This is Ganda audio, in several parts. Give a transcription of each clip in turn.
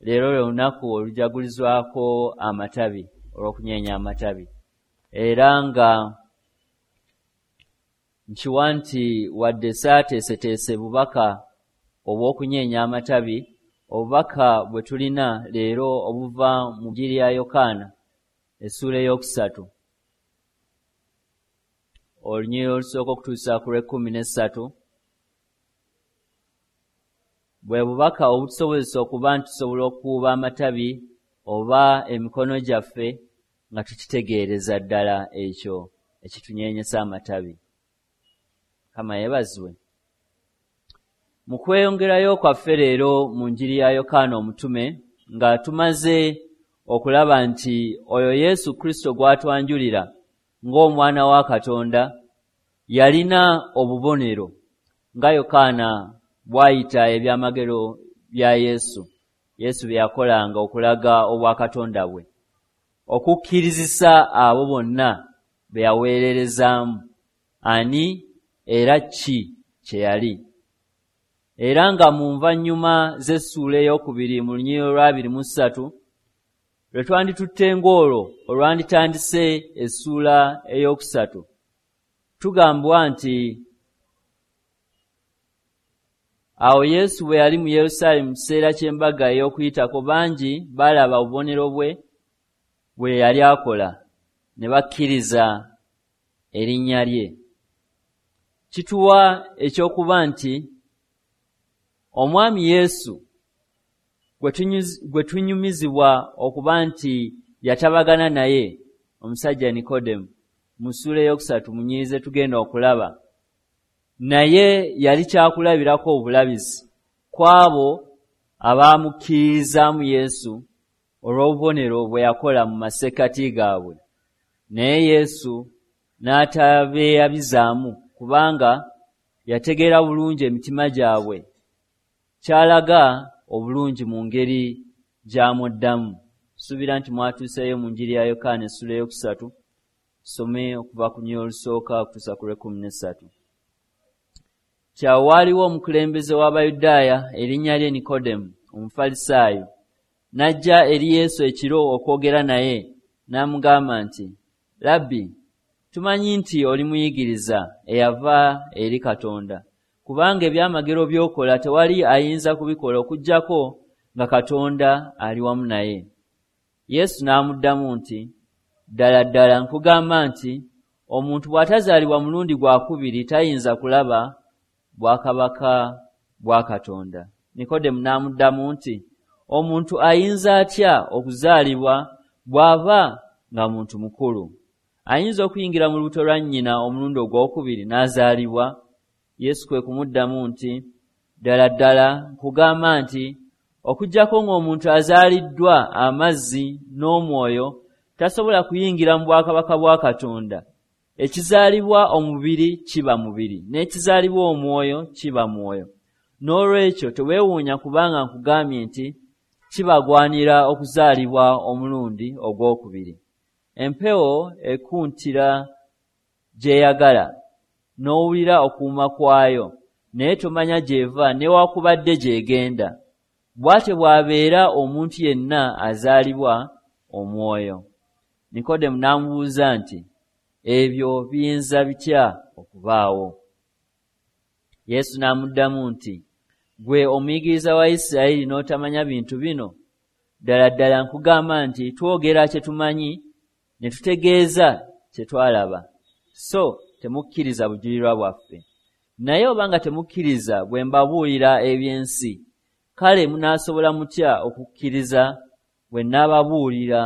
Leero lwe lunaku olujagulizwako amatabi, olw'okunyeenya amatabi. Era nga nkiwa nti wadde saateeseteese bubaka obw'okunyeenya amatabi, obubaka bwe tulina leero obuva mu Njiri ya Yokaana essuula 3, olunyiriri olusooka okutuusa ku lw'e13, bwe bubaka obutusobozesa okuba nti tusobola okukuuba amatabi oba emikono gyaffe nga tukitegeereza ddala ekyo ekitunyeenyesa amatabi. Mukama yeebazibwe. Mu kweyongerayo kwaffe leero mu Njiri ya Yokaana omutume, nga tumaze okulaba nti oyo Yesu Kristo gw'atwanjulira ng'omwana wa Katonda yalina obubonero nga Yokaana bw'ayita ebyamagero bya Yesu, Yesu bye yakolanga okulaga obwakatonda bwe, okukkirizisa abo bonna be yaweererezaamu ani era ki kye yali. Era nga mu nvannyuma z'essuula 2 mu lunyiriri olwa 23 lwe twanditutte ng'olwo olwanditandise essuula 3, tugambwa nti awo Yesu bwe yali mu Yerusaalemi mu kiseera ky'embaga ey'Okuyitako, bangi baalaba obubonero bwe bwe yali akola ne bakkiriza erinnya lye. Kituwa ekyokuba nti omwami Yesu gwe tunyumizibwa okuba nti yatabagana naye omusajja Nikodemu mu ssuula 3 mu nnyiriri ze tugenda okulaba, naye yali kyakulabirako obulabizi ku abo abaamukkiririzaamu Yesu olw'obubonero bwe yakola mu masekkati gaabwe. Naye Yesu n'atabeeyabizaamu kubanga yategeera bulungi emitima gyabwe, kyalaga obulungi mu ngeri gy'amuddamu. Suubira nti mwatuuseeyo mu Njiri ya Yokaana essuula 3, tusome okuva ku lunyiriri olusooka okutuusa ku lw'e13. Kyawo waaliwo omukulembeze w'Abayudaaya erinnya lye Nikodemu, Omufalisaayo, n'ajja eri Yesu ekiro okwogera naye, n'amugamba nti, Labbi, tumanyi nti oli muyigiriza eyava eri Katonda, kubanga ebyamagero by'okola tewali ayinza kubikola okuggyako nga Katonda ali wamu naye. Yesu n'amuddamu nti, ddala ddala nkugamba nti omuntu bw'atazaalibwa mulundi gwa kubiri tayinza kulaba bwakabaka bwa Katonda. Nikodemu n'amuddamu nti, omuntu ayinza atya okuzaalibwa bw'aba nga muntu mukulu? Ayinza okuyingira mu lubuto lwa nnyina omulundi ogwokubiri n'azaalibwa? Yesu kwe kumuddamu nti, ddala ddala nkugamba nti okuggyako ng'omuntu azaaliddwa amazzi n'omwoyo tasobola kuyingira mu bwakabaka bwa Katonda. Ekizaalibwa omubiri kiba mubiri, n'ekizaalibwa omwoyo kiba mwoyo. N'olwekyo teweewuunya kubanga nkugambye nti kibagwanira okuzaalibwa omulundi ogwokubiri. Empewo ekuntira gy'eyagala, n'owulira okuwuuma kwayo, naye tomanya gy'eva newaakubadde gy'egenda. Bw'atyo bw'abeera omuntu yenna azaalibwa omwoyo. Nikodemu n'amubuuza nti, ebyo biyinza bitya okubaawo? Yesu n'amuddamu nti, ggwe omuyigiriza wa Isirayiri n'otamanya bintu bino? Ddala ddala nkugamba nti twogera kye tumanyi ne tutegeeza kye twalaba, so temukkiriza bujulirwa bwaffe. Naye obanga temukkiriza bwe mbabuulira eby'ensi, kale munaasobola mutya okukkiriza bwe nnaababuulira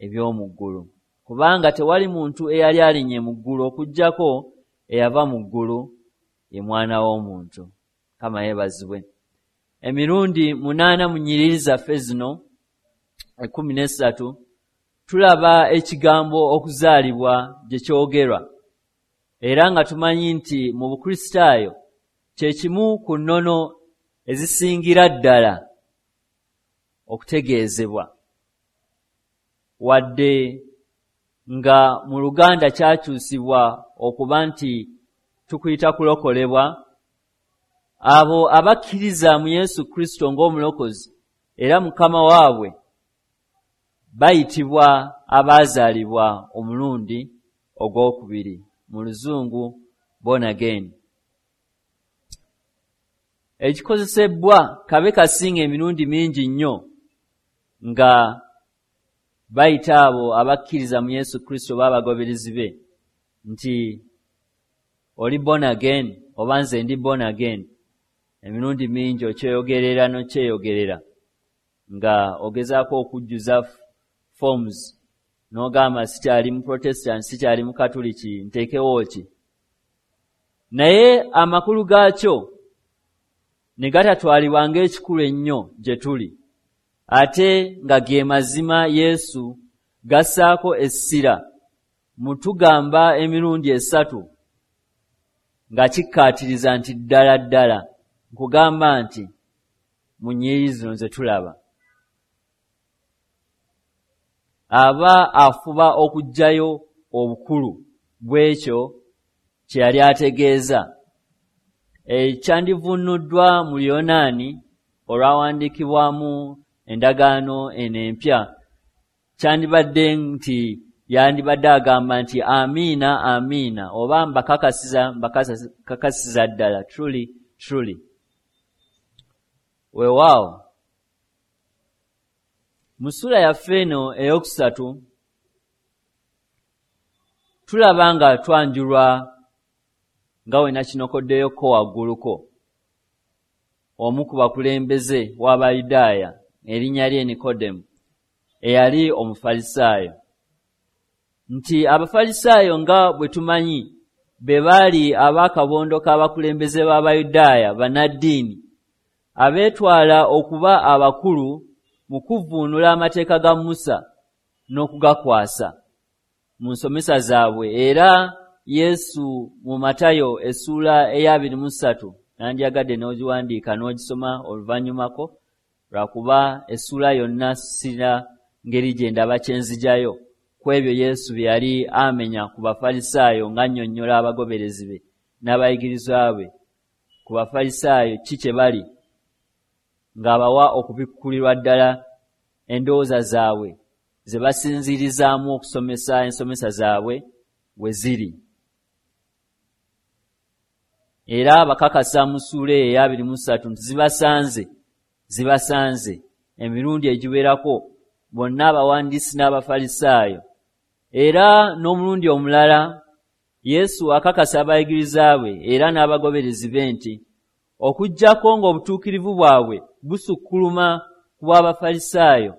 eby'omu ggulu? Kubanga tewali muntu eyali alinnye mu ggulu okuggyako eyava mu ggulu, ye Mwana w'Omuntu. Mukama yeebazibwe. Emirundi 8 mu nnyiriri zaffe zino 13 tulaba ekigambo okuzaalibwa gye kyogerwa, era nga tumanyi nti mu Bukristaayo kye kimu ku nnono ezisingira ddala okutegeezebwa, wadde nga mu Luganda kyakyusibwa okuba nti tukuyita kulokolebwa. Abo abakkiriza mu Yesu Kristo ng'omulokozi era Mukama waabwe bayitibwa abaazaalibwa omulundi ogwokubiri, mu Luzungu born again. Ekikozesebwa kabe kasinga emirundi mingi nnyo nga bayita abo abakkiriza mu Yesu Kristo oba abagoberezi be nti oli born again oba nze ndi born again. Emirundi mingi okyeyogerera n'okyeyogerera nga ogezaako okujjuza forms n'ogamba sikyali mu Protestant, sikyali mu Katoliki, nteekewo ki? Naye amakulu gaakyo ne gatatwalibwa ng'ekikulu ennyo gye tuli, ate nga ge mazima Yesu gassaako essira mu tugamba emirundi esatu nga kikkaatiriza nti ddala ddala nkugamba nti mu nnyiriri zino ze tulaba. Aba afuba okuggyayo obukulu bw'ekyo kye yali ategeeza. Ekyandivuunuddwa mu Luyonaani olwawandiikibwamu endagaano eno empya kyandibadde nti yandibadde agamba nti amiina amiina oba mbakakasiza mbakakasiza ddala, truly truly. Weewaawo mu ssuula yaffe eno eyokusatu tulaba nga twanjulwa nga we nakinokoddeyoko wagguluko omu ku bakulembeze w'Abayudaaya erinnya lye Nikodemu eyali Omufalisaayo, nti Abafalisaayo nga bwe tumanyi be baali ab'akabondo k'abakulembeze b'Abayudaaya bannaddiini abeetwala okuba abakulu mu kuvvuunula amateeka ga Musa n'okugakwasa mu nsomesa zaabwe. Era Yesu mu Matayo essuula eya 23 nandyagadde n'ogiwandiika n'ogisoma oluvannyumako, lwakuba essuula yonna sirina ngeri gye ndaba kye nzijayo ku ebyo Yesu bye yali amenya ku Bafalisaayo ng'annyonnyola abagoberezi be n'abayigirizwa be ku Bafalisaayo ki kye bali, ng'abawa okubikkulirwa ddala endowooza zaabwe ze basinziirizaamu okusomesa ensomesa zaabwe we ziri. Era bakakasa mu ssuula eyo eya 23 nti zibasanze emirundi egiwerako bonna abawandiisi n'Abafalisaayo. Era n'omulundi omulala Yesu akakasa abayigiriza be era n'abagoberezi be nti okuggyako ng'obutuukirivu bwabwe busukkuluma ku bw'Abafalisaayo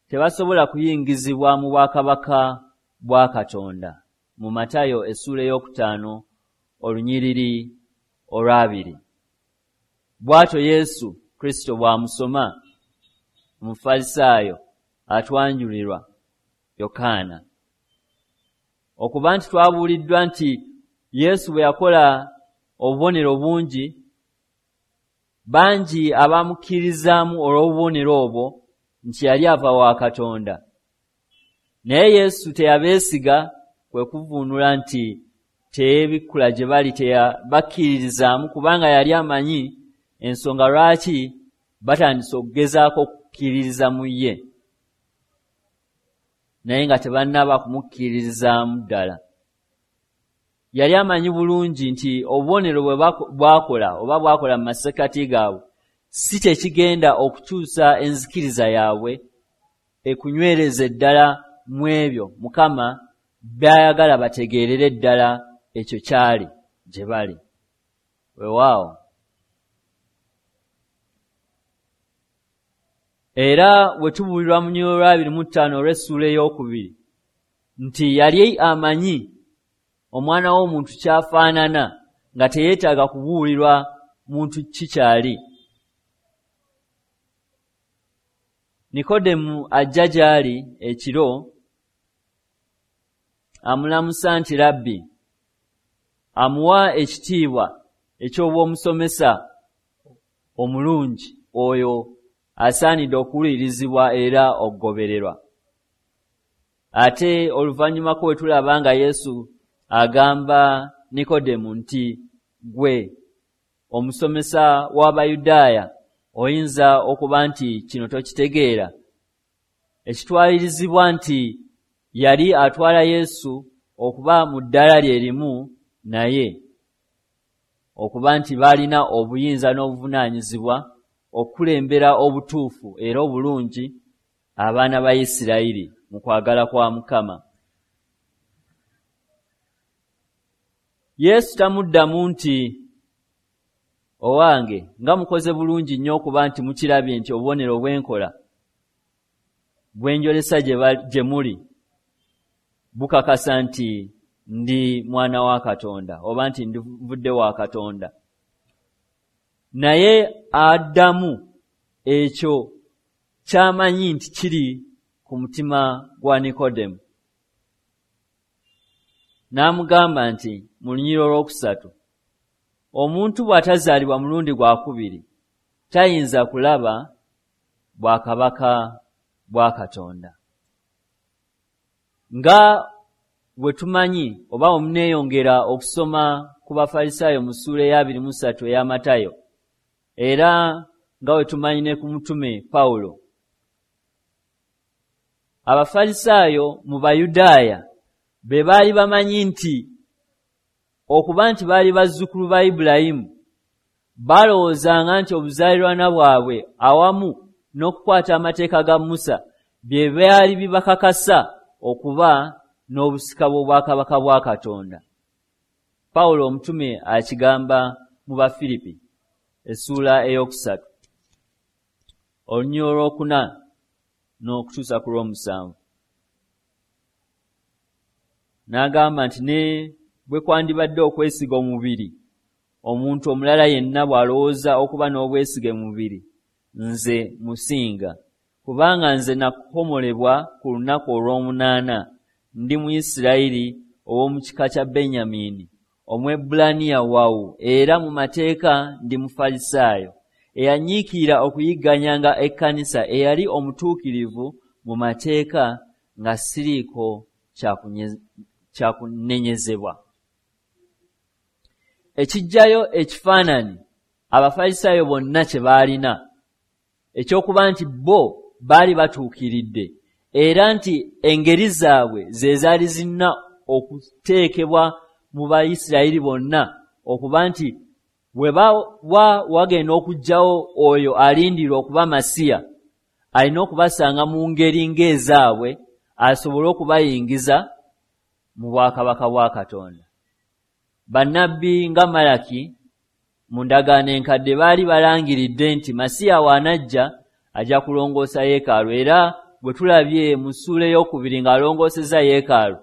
tebasobola kuyingizibwa mu bwakabaka bwa Katonda. Mu Matayo essuula 5 olunyiriri olw'abiri. Bw'atyo Yesu Kristo bw'amusoma Omufalisaayo atwanjulirwa Yokaana. Okuba nti twabuuliddwa nti Yesu bwe yakola obubonero bungi, bangi abamukkirizaamu olw'obubonero obwo nti yali ava wa Katonda. Naye Yesu teyabeesiga, kwe kuvuunula nti teyeebikkula gye bali, teyabakkiririzaamu kubanga yali amanyi ensonga lwaki batandise okugezaako okukkiririza mu ye, naye nga tebannaba kumukkiririzaamu ddala. Yali amanyi bulungi nti obubonero bwe bwakola oba bwakola mu masekkati gaabwe si kye kigenda okukyusa enzikiriza yaabwe ekunywereze ddala mu ebyo Mukama by'ayagala bategeerere ddala ekyo kyali gye bali. Weewaawo. Era bwe tubuulirwa mu lunyiriri olwa 25 olw'essuula 2 nti yali amanyi omwana w'omuntu ky'afaanana nga teyeetaaga kubuulirwa muntu ki kyali. Nikodemu ajja gy'ali ekiro amulamusa nti Rabbi, amuwa ekitiibwa eky'obwomusomesa omulungi oyo asaanidde okuwulirizibwa era okugobererwa. Ate oluvannyumako we tulaba nga Yesu agamba Nikodemu nti ggwe omusomesa w'Abayudaaya Oyinza okuba nti kino tokitegeera. Ekitwalirizibwa nti yali atwala Yesu okuba mu ddala lye limu naye, okuba nti baalina obuyinza n'obuvunaanyizibwa okukulembera obutuufu era obulungi abaana ba Isirayiri mu kwagala kwa Mukama. Yesu tamuddamu nti, owange nga mukoze bulungi nnyo okuba nti mukirabye nti obubonero bwenkola bwenjolesa gye muli bukakasa nti ndi mwana wa Katonda oba nti nvudde wa Katonda. Naye addamu ekyo ky'amanyi nti kiri ku mutima gwa Nikodemu. N'amugamba nti mu lunyiriri olwokusatu, omuntu bw'atazaalibwa mulundi gwa kubiri tayinza kulaba bwakabaka bwa Katonda. Nga bwe tumanyi oba omuneeyongera okusoma ku Bafalisaayo mu ssuula eya 23 eya Matayo, era nga bwe tumanyi ne ku mutume Pawulo, Abafalisaayo mu Bayudaaya be baali bamanyi nti okuba nti baali bazzukulu ba Ibulayimu, balowoozanga nti obuzaalirwana bwabwe awamu n'okukwata amateeka ga Musa bye byali bibakakasa okuba n'obusika bw'obwakabaka bwa Katonda. Pawulo omutume akigamba mu Bafiripi essuula 3 olunyiriri olwokuna n'okutuusa ku lw'omusanvu. N'agamba nti ne bwe kwandibadde okwesiga omubiri, omuntu omulala yenna bw'alowooza okuba n'obwesige mu mubiri, nze musinga. Kubanga nze nakomolebwa ku lunaku olw'omunaana, ndi Muyisirayiri ow'omu kika kya Benyamini, Omwebbulaniya wawu, era mu mateeka ndi Mufalisaayo, eyanyiikirira okuyigganyanga ekkanisa, eyali omutuukirivu mu mateeka nga siriiko kyakunenyezebwa. Ekiggyayo ekifaananyi Abafalisaayo bonna kye baalina ekyokuba nti bo baali batuukiridde, era nti engeri zaabwe ze zaali zirina okuteekebwa mu Bayisirayiri bonna, okuba nti bwe bawa wagenda okuggyawo oyo alindirwa okuba Masiya, alina okubasanga mu ngeri ng'ezaabwe asobole okubayingiza mu bwakabaka bwa Katonda. Bannabbi nga Malaki mu ndagaano enkadde baali balangiridde nti Masiya w'anajja ajja kulongoosa yeekaalu, era bwe tulabye mu ssuula 2 ng'alongoosezza yeekaalu,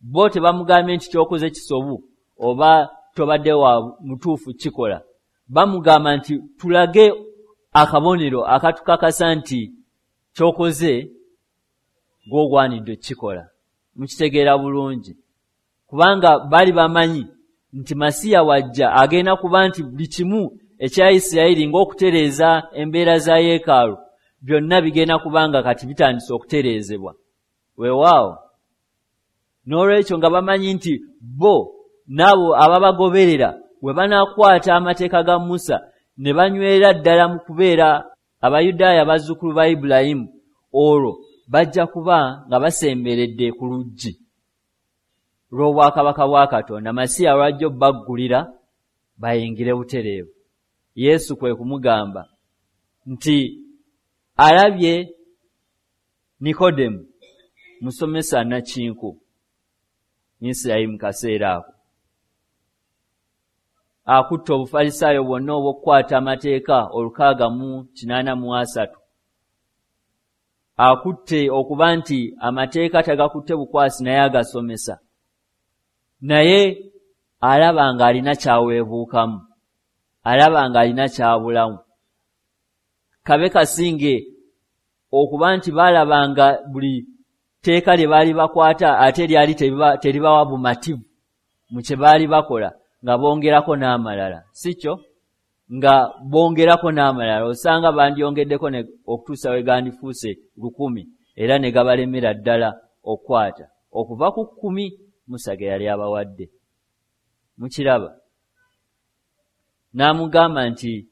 bo tebamugambye nti ky'okoze kisobu oba tobadde wa mutuufu kikola. Bamugamba nti tulage akabonero akatukakasa nti ky'okoze gw'ogwanidde okukikola. Mukitegeera bulungi, kubanga baali bamanyi nti Masiya wajja agenda kuba nti buli kimu ekya Isirayiri ng'okutereeza embeera za yeekaalu byonna bigenda kubanga kati bitandise okutereezebwa. Weewaawo, n'olwekyo nga bamanyi nti bo n'abo ababagoberera bwe banaakwata amateeka ga Musa ne banywerera ddala mu kubeera Abayudaaya bazzukulu ba Ibulayimu, olwo bajja kuba nga basemberedde ku luggi lw'obwakabaka bwa Katonda, Masiya lw'ajja obbaggulira bayingire butereevu. Yesu kwe kumugamba nti alabye Nikodemu, musomesa nnakinku Isirayiri mu kaseera ako, akutte Obufalisaayo bwonna obw'okukwata amateeka 683, akutte okuba nti amateeka tagakutte bukwasi naye agasomesa, naye alaba ng'alina ky'aweebuukamu, alaba ng'alina ky'abulamu. Kabe kasinge okuba nti baalabanga buli tteeka lye baali bakwata ate lyali teribawa bumativu mu kye baali bakola, nga bongerako n'amalala, si kyo? Nga bongerako n'amalala, osanga bandyongeddeko okutuusa we gandifuuse 1000, era ne gabalemera ddala okukwata okuva ku 10 Musa ge yali abawadde. Mukiraba? N'amugamba nti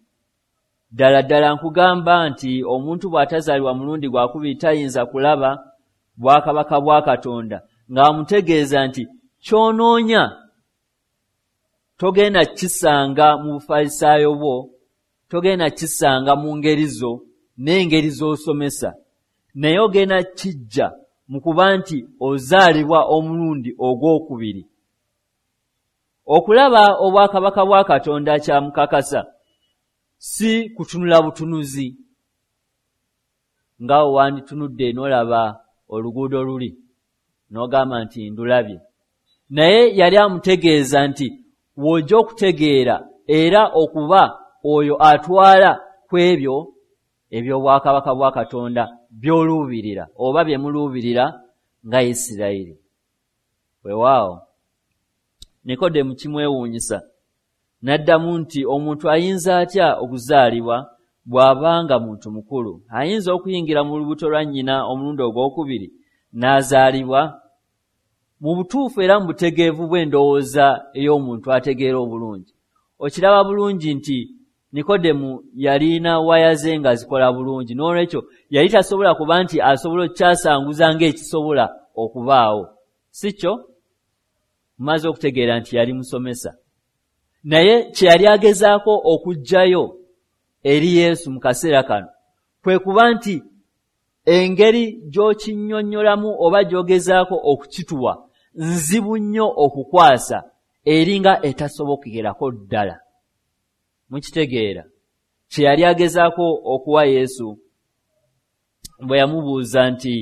Ddala ddala nkugamba nti omuntu bw'atazaalibwa mulundi gwakubiri tayinza kulaba bwakabaka bwa Katonda, ng'amutegeeza nti ky'onoonya togenda kisanga mu bufalisaayo bwo, togenda kisanga mu ngeri zo n'engeri z'osomesa, naye ogenda kijja mu kuba nti ozaalibwa omulundi ogwokubiri. Okulaba obwakabaka bwa Katonda kyamukakasa si kutunula butunuzi nga wanditunudde n'olaba oluguudo luli n'ogamba nti ndulabye, naye yali amutegeeza nti w'ojja okutegeera era okuba oyo atwala ku ebyo eby'obwakabaka bwa Katonda by'oluubirira oba bye muluubirira nga Isirayiri. Weewaawo Nikodemu kimwewuunyisa n'addamu nti omuntu ayinza atya okuzaalibwa bw'abanga muntu mukulu? Ayinza okuyingira mu lubuto lwa nnyina omulundi ogwokubiri n'azaalibwa? Mu butuufu era mu butegeevu bw'endowooza ey'omuntu ategeera obulungi, okiraba bulungi nti Nikodemu yalina waya ze nga zikola bulungi, n'olwekyo yali tasobola kuba nti asobola okukyasanguza ng'ekisobola okubaawo. Si kyo? Mumaze okutegeera nti yali musomesa, naye kye yali agezaako okuggyayo eri Yesu mu kaseera kano kwe kuba nti engeri gy'okinnyonnyolamu oba gy'ogezaako okukituwa nzibu nnyo okukwasa, eringa etasobokerako ddala. Mukitegeera kye yali agezaako okuwa Yesu bwe yamubuuza nti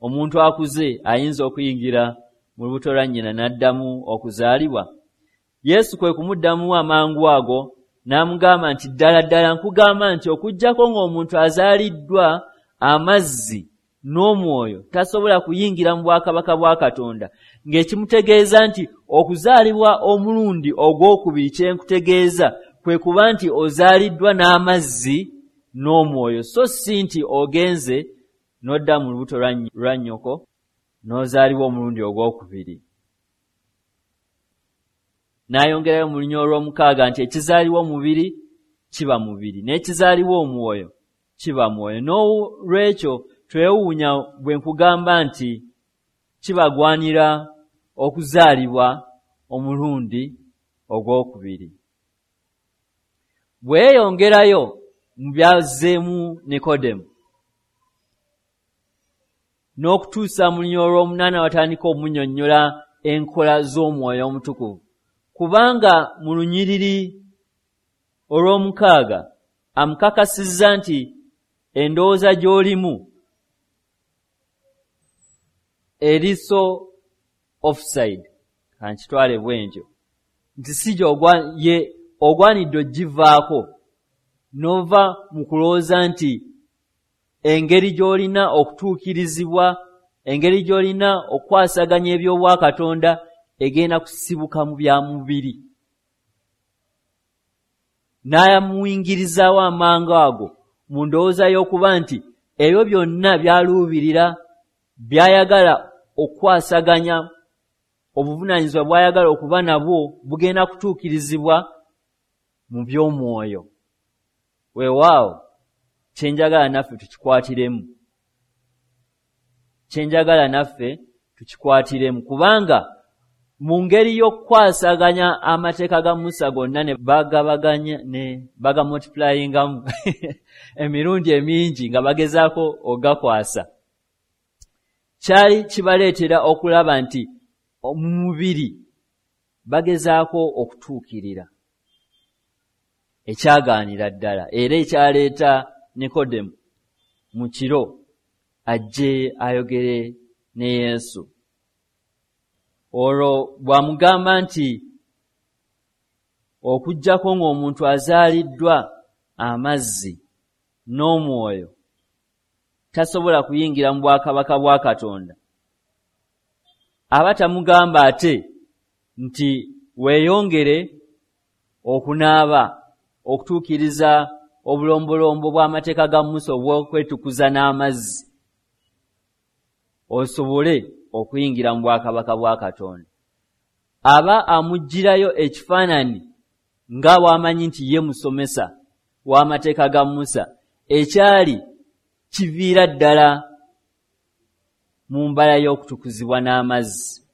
omuntu akuze ayinza okuyingira mu lubuto lwa nnyina n'addamu okuzaalibwa? Yesu kwe kumuddamu amangu ago n'amugamba nti ddala ddala nkugamba nti okuggyako ng'omuntu azaaliddwa amazzi n'omwoyo tasobola kuyingira mu bwakabaka bwa Katonda, ng'ekimutegeeza nti okuzaalibwa omulundi ogwokubiri kye nkutegeeza kwe kuba nti ozaaliddwa n'amazzi n'omwoyo, so si nti ogenze n'odda mu lubuto lwa nnyoko n'ozaalibwa omulundi ogwokubiri. N'ayongerayo mu lunya olw'omukaaga nti ekizaalibwa omubiri kiba mubiri, n'ekizaalibwa omwoyo kiba mwoyo. N'olwekyo twewuunya bwe nkugamba nti kibagwanira okuzaalibwa omulundi ogwokubiri. Bwe yeeyongerayo mu byazzeemu Nikodemu n'okutuusa mu lunya olw'omunaana watandika omunnyonnyola enkola z'omwoyo omutukuvu, kubanga mu lunyiriri olw'omukaaga amukakasizza nti endowooza gy'olimu eri so offside, kankitwale bwe ntyo, nti si ye ogwanidde ogivaako n'ova mu kulowooza nti engeri gy'olina okutuukirizibwa, engeri gy'olina okukwasaganya eby'obwakatonda egenda kusibuka mu bya mubiri. N'amuyingirizaawo amangu ago mu ndowooza y'okuba nti ebyo byonna by'aluubirira, by'ayagala okukwasaganya, obuvunaanyizibwa bw'ayagala okuba nabwo bugenda kutuukirizibwa mu by'omwoyo. Weewaawo kye njagala naffe tukikwatiremu, kye njagala naffe tukikwatiremu, kubanga mu ngeri y'okukwasaganya amateeka ga Musa gonna ne bagabaganya ne bagamultiplyingamu emirundi emingi nga bagezaako ogakwasa, kyali kibaleetera okulaba nti mu mubiri bagezaako okutuukirira ekyagaanira ddala, era ekyaleeta Nikodemu mu kiro ajje ayogere ne Yesu. Olwo bw'amugamba nti okuggyako ng'omuntu azaaliddwa amazzi n'omwoyo tasobola kuyingira mu bwakabaka bwa Katonda, aba tamugamba ate nti weeyongere okunaaba okutuukiriza obulombolombo bw'amateeka ga Musa obw'okwetukuza n'amazzi osobole okuyingira mu bwakabaka bwa Katonda. Aba amuggyirayo ekifaananyi nga bw'amanyi nti ye musomesa, w'amateeka ga Musa ekyali kiviira ddala mu mbala y'okutukuzibwa n'amazzi.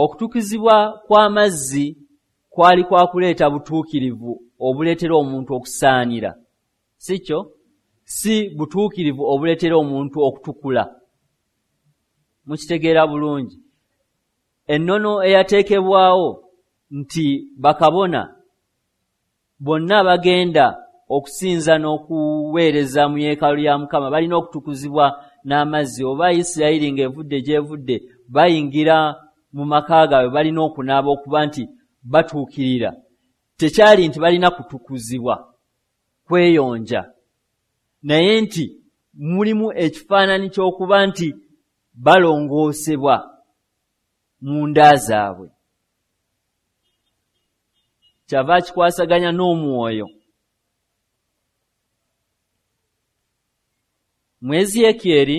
Okutukuzibwa kw'amazzi kwali kwa kuleeta butuukirivu obuleetera omuntu okusaanira, si kyo? Si butuukirivu obuleetera omuntu okutukula. Mukitegeera bulungi. Ennono eyateekebwawo nti bakabona bonna bagenda okusinza n'okuweereza mu yeekaalu ya Mukama balina okutukuzibwa n'amazzi, oba Isirayiri ng'evudde gy'evudde bayingira mu maka gaabwe balina okunaaba okuba nti batuukirira. Tekyali nti balina kutukuzibwa kweyonja, naye nti mulimu ekifaananyi ky'okuba nti balongoosebwa mu nda zaabwe. Kyava kikwasaganya n'omwoyo. Mu Ezeekyeri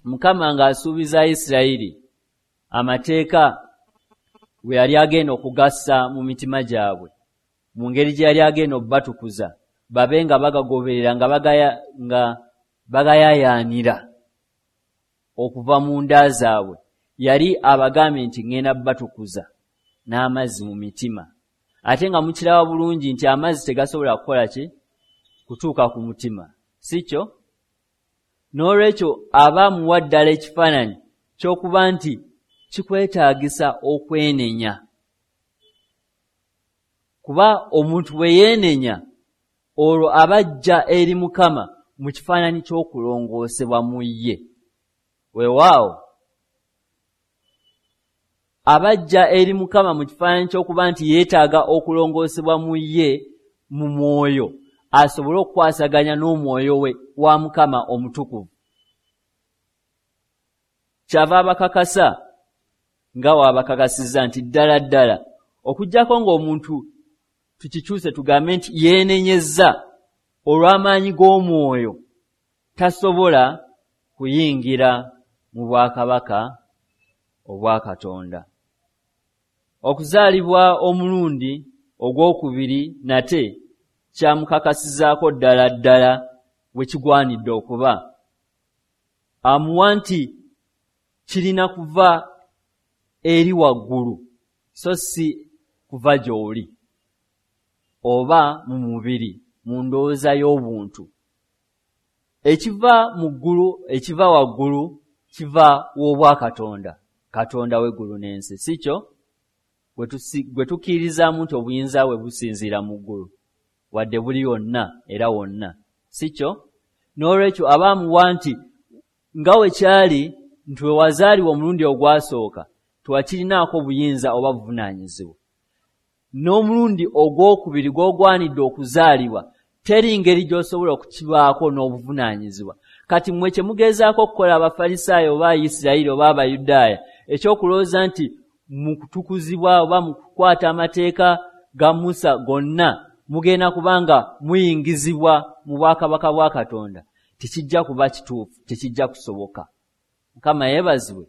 Mukama ng'asuubiza Isirayiri amateeka bwe yali agenda okugassa mu mitima gyabwe, mu ngeri gye yali agenda okubatukuza babe nga bagagoberera nga bagayayaanira okuva mu nda zaabwe, yali abagambye nti ŋŋenda batukuza n'amazzi mu mitima. Ate nga mukiraba bulungi nti amazzi tegasobola kukola ki? Kutuuka ku mutima, si kyo? N'olwekyo aba amuwa ddala ekifaananyi ky'okuba nti kikwetaagisa okwenenya, kuba omuntu bwe yeenenya olwo aba ajja eri Mukama mu kifaananyi ky'okulongoosebwa mu ye. Weewaawo aba ajja eri Mukama mu kifaananyi ky'okuba nti yeetaaga okulongoosebwa mu ye mu mwoyo, asobole okukwasaganya n'omwoyo we wa Mukama omutukuvu. Kyava abakakasa nga wabakakasizza nti ddala ddala okuggyako ng'omuntu tukikyuse tugambe nti yeenenyezza olw'amaanyi g'omwoyo, tasobola kuyingira mu bwakabaka obwa Katonda. Okuzaalibwa omulundi ogwokubiri nate kyamukakasizaako ddala ddala bwe kigwanidde okuba. Amuwa nti kirina kuva eri waggulu so si kuva gy'oli oba mu mubiri, mu ndowooza y'obuntu. Ekiva mu ggulu, ekiva waggulu kiva w'obwakatonda, Katonda w'eggulu n'ensi, si kyo? Gwe tukkirizaamu nti obuyinza bwe businziira mu ggulu, wadde buli yonna era wonna, si kyo? N'olwekyo aba amuwa nti nga we kyali nti we wazaalibwa omulundi ogwasooka tewakirinaako buyinza oba buvunaanyizibwa, n'omulundi ogwokubiri gw'ogwanidde okuzaalibwa teri ngeri gy'osobola okukibaako n'obuvunaanyizibwa. Kati mmwe kye mugezaako okukola Abafalisaayo oba Abayisirayiri oba Abayudaaya, ekyokulowooza nti mu kutukuzibwa oba mu kukwata amateeka ga Musa gonna mugenda kubanga muyingizibwa mu bwakabaka bwa Katonda, tekijja kuba kituufu, tekijja kusoboka. Mukama yeebazibwe.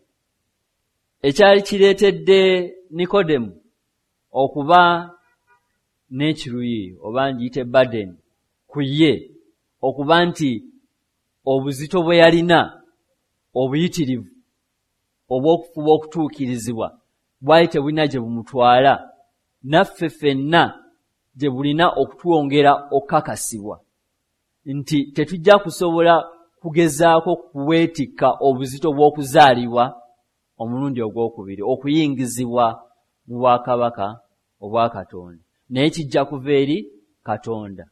Ekyali kireetedde Nikodemu okuba n'ekiruyi oba ngiyite burden ku ye, okuba nti obuzito bwe yalina obuyitirivu obw'okufuba okutuukirizibwa bwali tebulina gye bumutwala, naffe ffenna gye bulina okutwongera okukakasibwa nti tetujja kusobola kugezaako kuweetikka obuzito bw'okuzaalibwa omulundi ogwokubiri, okuyingizibwa mu bwakabaka obwa Katonda, naye kijja kuva eri Katonda.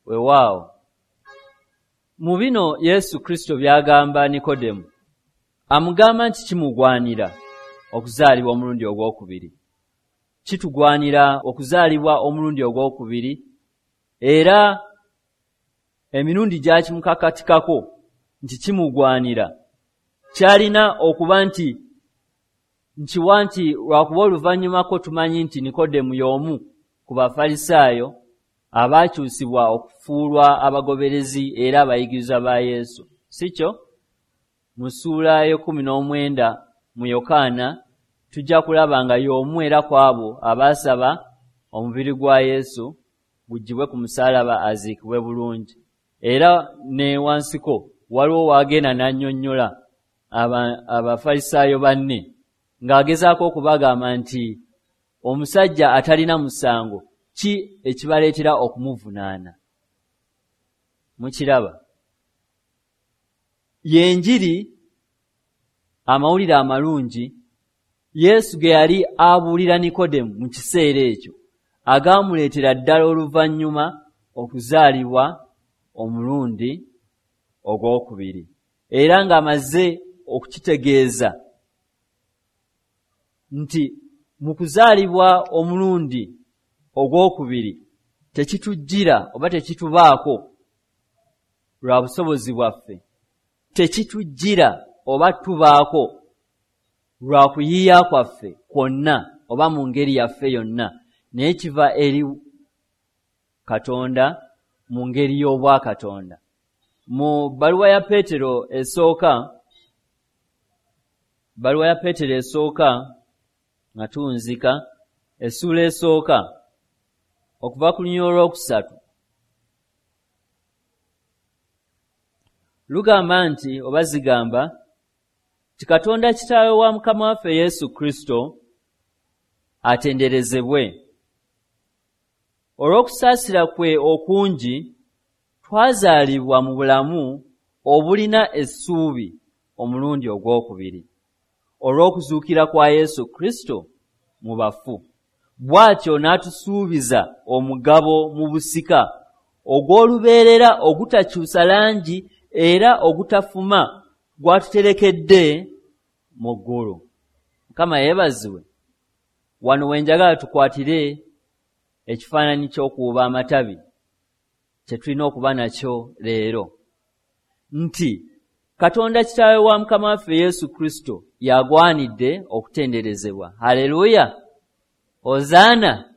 Weewaawo mu bino Yesu Kristo by'agamba Nikodemu, amugamba nti kimugwanira okuzaalibwa omulundi ogwokubiri. Kitugwanira okuzaalibwa omulundi ogwokubiri, era emirundi gy'akimukakatikako nti kimugwanira. Kyalina okuba nti nkiwa nti lwakuba oluvannyumako tumanyi nti Nikodemu y'omu ku Bafalisaayo abaakyusibwa okufuulwa abagoberezi era abayigirizwa ba Yesu, si kyo? Mu ssuula 19 mu Yokaana tujja kulaba nga y'omu era ku abo abaasaba omubiri gwa Yesu guggyibwe ku musaalaba aziikibwe bulungi. Era ne wansiko waliwo waagenda n'annyonnyola Abafalisaayo banne ng'agezaako okubagamba nti omusajja atalina musango ki ekibaleetera okumuvunaana. Mukiraba, y'enjiri, amawulire amalungi Yesu ge yali abuulira Nikodemu mu kiseera ekyo, agaamuleetera ddala oluvannyuma okuzaalibwa omulundi ogwokubiri, era ng'amaze okukitegeeza nti mu kuzaalibwa omulundi ogwokubiri tekitujjira oba tekitubaako lwa busobozi bwaffe, tekitujjira oba tubaako lwa kuyiiya kwaffe kwonna oba mu ngeri yaffe yonna, naye kiva eri Katonda mu ngeri y'obwakatonda. Mu bbaluwa ya Peetero esooka, bbaluwa ya Peetero esooka nga tuwunzika, essuula esooka okuva ku lunyiriri olwokusatu lugamba nti oba zigamba nti Katonda Kitaawe wa Mukama waffe Yesu Kristo atenderezebwe olw'okusaasira kwe okungi twazaalibwa mu bulamu obulina essuubi omulundi ogwokubiri olw'okuzuukira kwa Yesu Kristo mu bafu, bw'atyo n'atusuubiza omugabo mu busika ogw'olubeerera ogutakyusa langi era ogutafuma gw'atuterekedde mu ggulu. Mukama yeebazibwe. Wano we njagala tukwatire ekifaananyi ky'okuwuba amatabi kye tulina okuba nakyo leero, nti Katonda Kitaawe wa Mukama waffe Yesu Kristo y'agwanidde okutenderezebwa. Haleluya! Hozaana!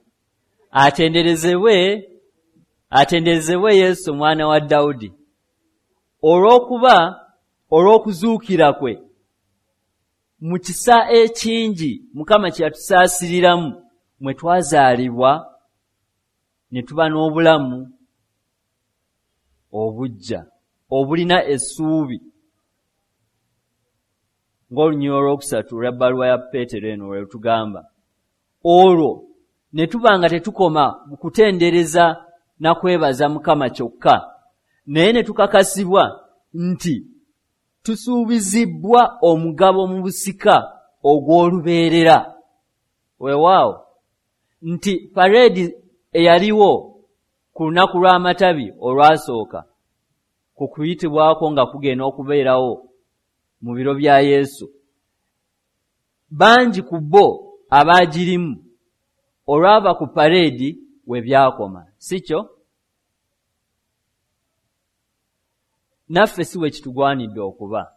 Atenderezebwe, atenderezebwe Yesu omwana wa Dawudi, olw'okuba olw'okuzuukira kwe mu kisa ekingi Mukama kye yatusaasiriramu mwe twazaalibwa ne tuba n'obulamu obuggya obulina essuubi, ng'olunyiriri olwokusatu olwa bbaluwa ya Peetero eno lwe lutugamba. Olwo ne tuba nga tetukoma mu kutendereza na kwebaza Mukama kyokka, naye ne tukakasibwa nti tusuubizibbwa omugabo mu busika ogw'olubeerera. Weewaawo nti pareedi eyaliwo ku lunaku lw'amatabi olwasooka ku kuyitibwako nga kugenda okubeerawo mu biro bya Yesu, bangi ku bo abaagirimu olwava ku pareedi we byakoma, si kyo? Naffe si bwe kitugwanidde okuba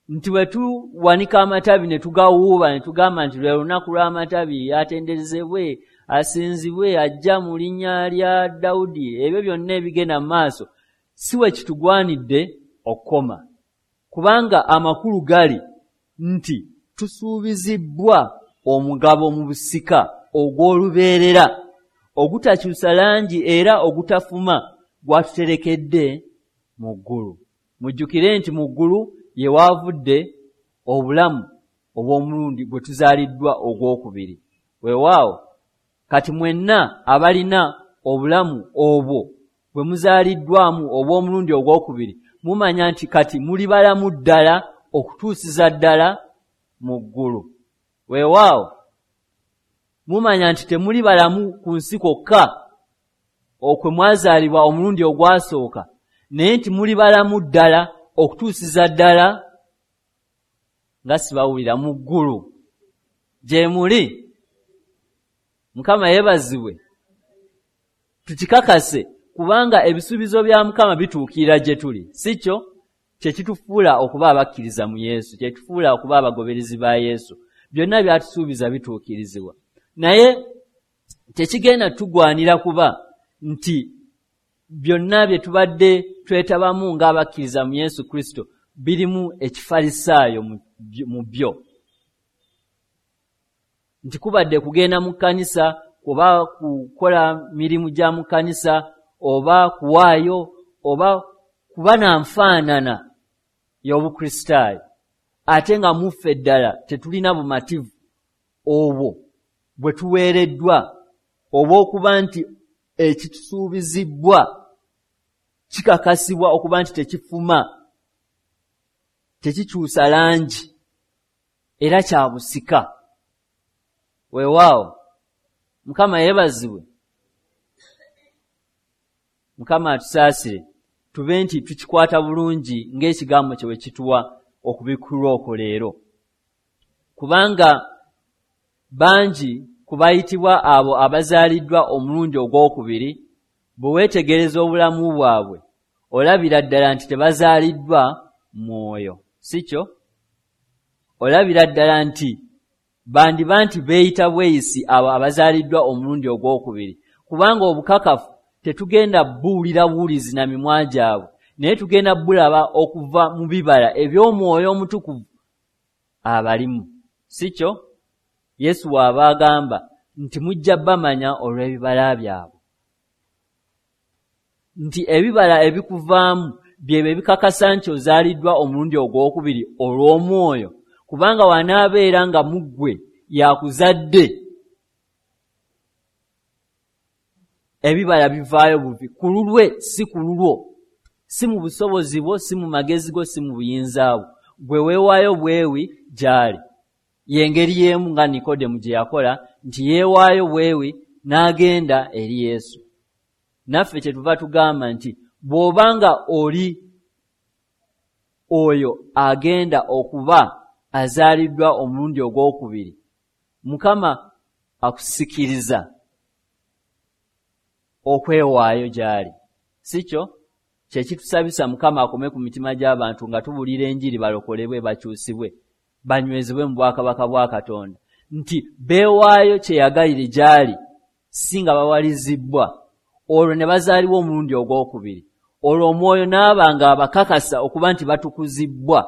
nti bwe tuwanika amatabi ne tugawuuba ne tugamba nti lwe lunaku lw'amatabi, atenderezebwe, asinzibwe, ajja mu linnya lya Dawudi, ebyo byonna ebigenda mu maaso, si bwe kitugwanidde okukoma, kubanga amakulu gali nti tusuubizibbwa omugabo mu busika ogw'olubeerera ogutakyusa langi era ogutafuma gw'atuterekedde mu ggulu. Mujjukire nti mu ggulu ye waavudde obulamu obw'omulundi gwe tuzaaliddwa ogwokubiri. Weewaawo kati mwenna abalina obulamu obwo bwe muzaaliddwamu obw'omulundi ogwokubiri, mumanya nti kati muli balamu ddala okutuusiza ddala mu ggulu. Weewaawo mumanya nti temuli balamu ku nsi kwokka okwe mwazaalibwa omulundi ogwasooka, naye nti muli balamu ddala okutuusiza ddala nga sibawulira mu ggulu gye muli. Mukama yeebazibwe. Tukikakase, kubanga ebisuubizo bya Mukama bituukirira gye tuli, si kyo? Kye kitufuula okuba abakkiriza mu Yesu, kye kitufuula okuba abagoberezi ba Yesu. Byonna by'atusuubiza bituukirizibwa, naye tekigenda tugwanira kuba nti byonna bye tubadde twetabamu ng'abakkiriza mu Yesu Kristo birimu ekifalisaayo mu byo, nti kubadde kugenda mu kkanisa, oba kukola mirimu gya mu kkanisa, oba kuwaayo, oba kuba na nfaanana y'Obukristaayo, ate nga muffe ddala tetulina bumativu obwo bwe tuweereddwa obw'okuba nti ekitusuubizibbwa kikakasibwa okuba nti tekifuma, tekikyusa langi, era kya busika. Weewaawo, Mukama yeebazibwe. Mukama atusaasire tube nti tukikwata bulungi ng'ekigambo kye bwe kituwa okubikkulwa okwo leero, kubanga bangi ku bayitibwa abo abazaaliddwa omulundi ogwokubiri, bwe weetegereza obulamu bwabwe olabira ddala nti tebazaaliddwa mwoyo, si kyo? Olabira ddala nti bandiba nti beeyita bweyisi abo abazaaliddwa omulundi ogwokubiri, kubanga obukakafu tetugenda buwulira buwulizi na mimwa gyabwe, naye tugenda bulaba okuva mu bibala eby'omwoyo omutukuvu abalimu, si kyo? Yesu bw'aba agamba nti mujja bamanya olw'ebibala byabwe, nti ebibala ebikuvaamu byebyo ebikakasa nti ozaaliddwa omulundi ogwokubiri olw'omwoyo, kubanga wanaabeera nga mu ggwe yakuzadde, ebibala bivaayo buvi ku lulwe, si ku lulwo, si mu busobozi bwo, si mu magezi go, si mu buyinza bwo, gwe weewaayo bwewi gy'ali. Y'engeri y'emu nga Nikodemu gye yakola, nti yeewaayo bwewi n'agenda eri Yesu. Naffe kyetuva tugamba nti bw'obanga oli oyo agenda okuba azaaliddwa omulundi ogwokubiri, Mukama akusikiriza okwewaayo gy'ali, si kyo? Kye kitusabisa Mukama akome ku mitima gy'abantu nga tubuulira enjiri, balokolebwe, bakyusibwe, banywezebwe mu bwakabaka bwa Katonda, nti beewaayo kyeyagalire gy'ali, si nga bawalizibbwa, olwo ne bazaalibwa omulundi ogwokubiri, olwo omwoyo n'aba ng'abakakasa okuba nti batukuzibbwa.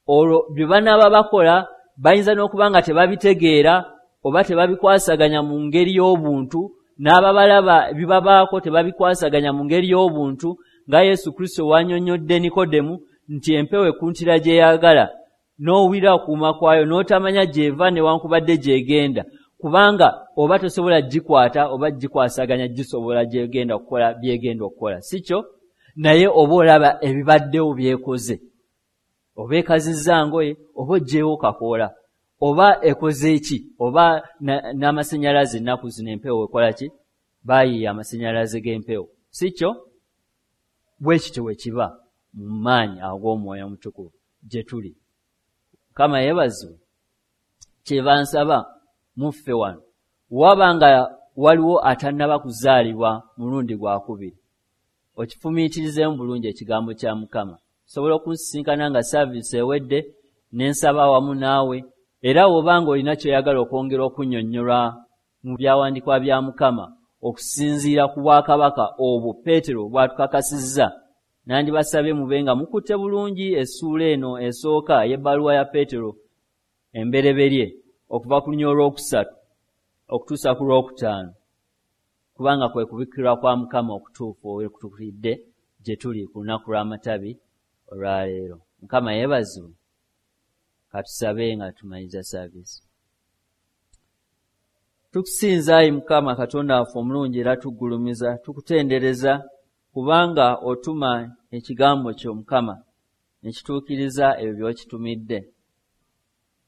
Olwo bye banaaba bakola bayinza n'okuba nga tebabitegeera oba tebabikwasaganya mu ngeri y'obuntu, n'ababalaba ebibabaako tebabikwasaganya mu ngeri y'obuntu, nga Yesu Kristo w'annyonnyodde Nikodemu nti empewo ekuntira gy'eyagala, n'owulira okuwuuma kwayo n'otamanya gy'eva newankubadde gy'egenda, kubanga oba tosobola gikwata oba gikwasaganya gisobola gy'egenda okukola by'egenda okukola, si kyo? Naye oba olaba ebibaddewo by'ekoze, oba ekazizza ngoye, oba oggyeewo kakoola, oba ekoze ki, oba n'amasannyalaze ennaku zino empewo ekola ki, baayiiya amasannyalaze g'empewo, si kyo? Bwe kityo bwe kiba mu maanyi ag'omwoyo omutukuvu gye tuli. Mukama yeebazibwe. Kyeva nsaba muffe wano, waba nga waliwo atannaba kuzaalibwa mulundi gwakubiri, okifumiitirizeemu bulungi ekigambo kya Mukama. Osobola okunsisinkana nga saaviisi ewedde ne nsaba wamu naawe, era bw'oba ng'olina ky'oyagala okwongera okunnyonnyolwa mu byawandiikibwa bya Mukama okusinziira ku bwakabaka obwo Peetero bw'atukakasizza, nandibasabye mube nga mukutte bulungi essuula eno esooka ey'ebbaluwa ya Peetero embereberye okuva ku lunyiriri olwokusatu okutuusa ku lwokutaano, kubanga kwe kubikkirwa kwa Mukama okutuufu okutuukiridde gye tuli ku lunaku lw'amatabi olwaleero. Mukama yeebazibwe. Katusabe nga tumaliriza saaviisi. Tukusinza ayi Mukama Katonda waffe omulungi era tuggulumiza, tukutendereza kubanga otuma ekigambo kyo Mukama ne kituukiriza ebyo by'okitumidde.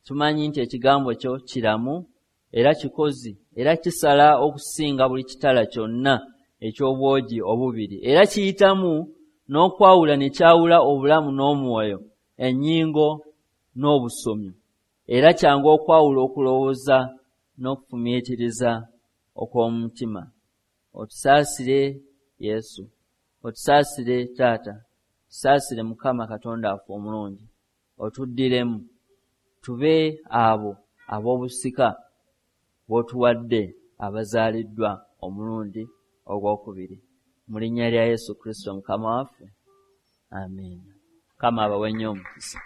Tumanyi nti ekigambo kyo kiramu era kikozi era kisala okusinga buli kitala kyonna eky'obwogi obubiri, era kiyitamu n'okwawula ne kyawula obulamu n'omwoyo, ennyingo n'obusomyo, era kyangu okwawula okulowooza n'okufumiitiriza okw'omutima. Otusaasire Yesu, otusaasire Taata, tusaasire Mukama Katonda waffe omulungi, otuddiremu tube abo ab'obusika bw'otuwadde abazaaliddwa omulundi ogwokubiri. Mu linnya lya Yesu Kristo Mukama waffe, amiina. Mukama abawe nnyo omukisa.